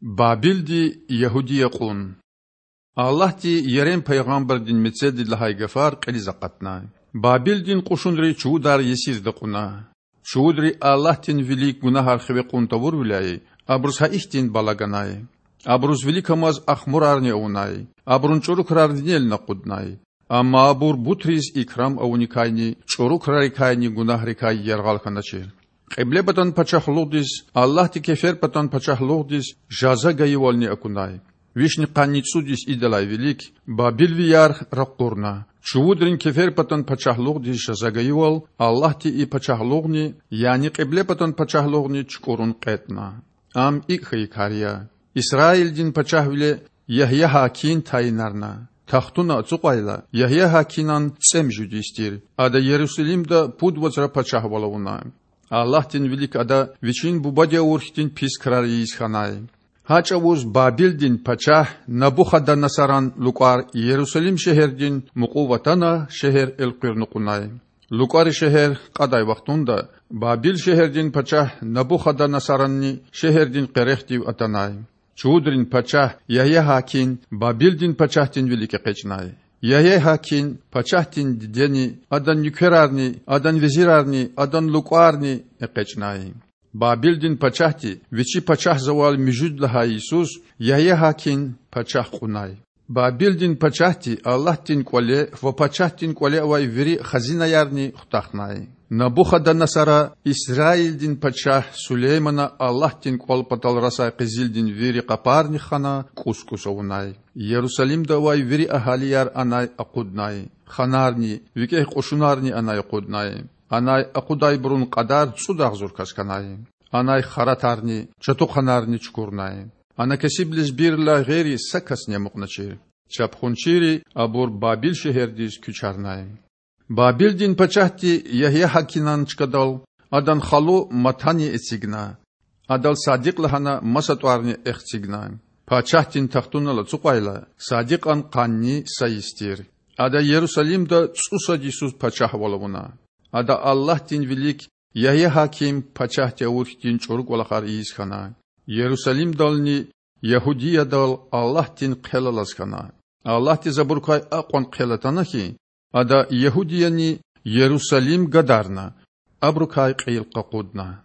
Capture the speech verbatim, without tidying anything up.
Бабилди Ягьудия кьун. Аллагьди Ерем пайгъамбардин мецелди лагьай гафар кьилиз акъатна: Бабилдин кьушунри чувудар Есирда кьуна. Чувудри Аллагьдин вилик гунагьар хиве кьун тавурвиляй, абуруз гьа ихьтин бала ганай. Абуруз виликамаз ахмурарни авунай, абурун чІуру крар винелни акъуднай. Амма абур бутриз икрам авуникайни чІуру крарикайни гунагьрикай яргъал хьаначир. Кьиблепатан пачагьлугъдиз, Аллагьди кеферпатан пачагьлугъдиз жаза гайивални акунай. Вишни къанни цІуд йис идалай вилик бабилвияр ракъурна. Чувудрин кеферпатан пачагьлугъдиз жаза гайивал Аллагьди и пачагьлугъни, яни Кьиблепатан пачагьлугъни чукІурун кьетІна. Ам икІ хьайи кар я: Исраилдин пачагьвиле Ягьягьакин тайинарна. Тахтуна ацукьайла, Ягьягьакинан цІемуьжуьд йис тир, ада Ярусалимда пуд вацра пачагьвал авуна. Аллагьдин вилик ада вичин бубади авур хьтин пис крар ийиз хьанай. Гьа чІавуз Бабилдин пачагь Набухаданасаран лукІар Ярусалим шегьердин мукьув атана, шегьер элкъуьрна кьунай. ЛукІари шегьер кьадай вахтунда Бабил шегьердин пачагь Набухаданасаранни шегьердин къерехдив атанай. Чувудрин пачагь Ягьягьакин Бабилдин пачагьдин вилик экъечІнай. Ягьягьакин пачагьдин дидени, адан нуькерарни, адан везирарни, адан лукІарни экъечІнай. Бабилдин пачагьди вичи пачагьзавай муьжуьд лагьай йисуз Ягьягьакин пачагь кьунай. Бабилдин пачагьди Аллагьдин кІвале ва пачагьдин кІвале авай вири хазинаярни хутахнай. Набухаданасара Исраилдин пачагь Сулеймана Аллагьдин кІвал патал расай къизилдин вири къапарни хана кІус-кІус авунай. Ярусалимда авай вири агьалияр анай акъуднай, ханарни, викІегь кьушунарни анай акъуднай. Анай акъудайбурун кьадар цІуд агъзур кас хьанай. Анай харатарни, чатухъанарни чукурнай. Ана кесиб лезбийрилай гъейри са касни амукьначир. Чапхунчийри абур Бабил шегьердиз куьчарнай. Бабилдин пачагьди Ягьягьакинан чкадал адан халу Матани эцигна. Адал Садикь лагьана маса тІварни эхцигна. Пачагьдин тахтунал ацукьайла, Садикьан къанни са йис тир. Ада Ярусалимда цІусад йисуз пачагьвал авуна. Ада Аллагьдин вилик Ягьягьаким пачагьди авур хьтин чІуру кІвалахар ийиз хьана. Ярусалимдални Ягьудиядал Аллагьдин хъел алаз хьана. Аллагьдиз абурукай акьван хъел атана хьи, Ада Ягьудияни Ярусалим гадарна, абурукай кьил къакъудна.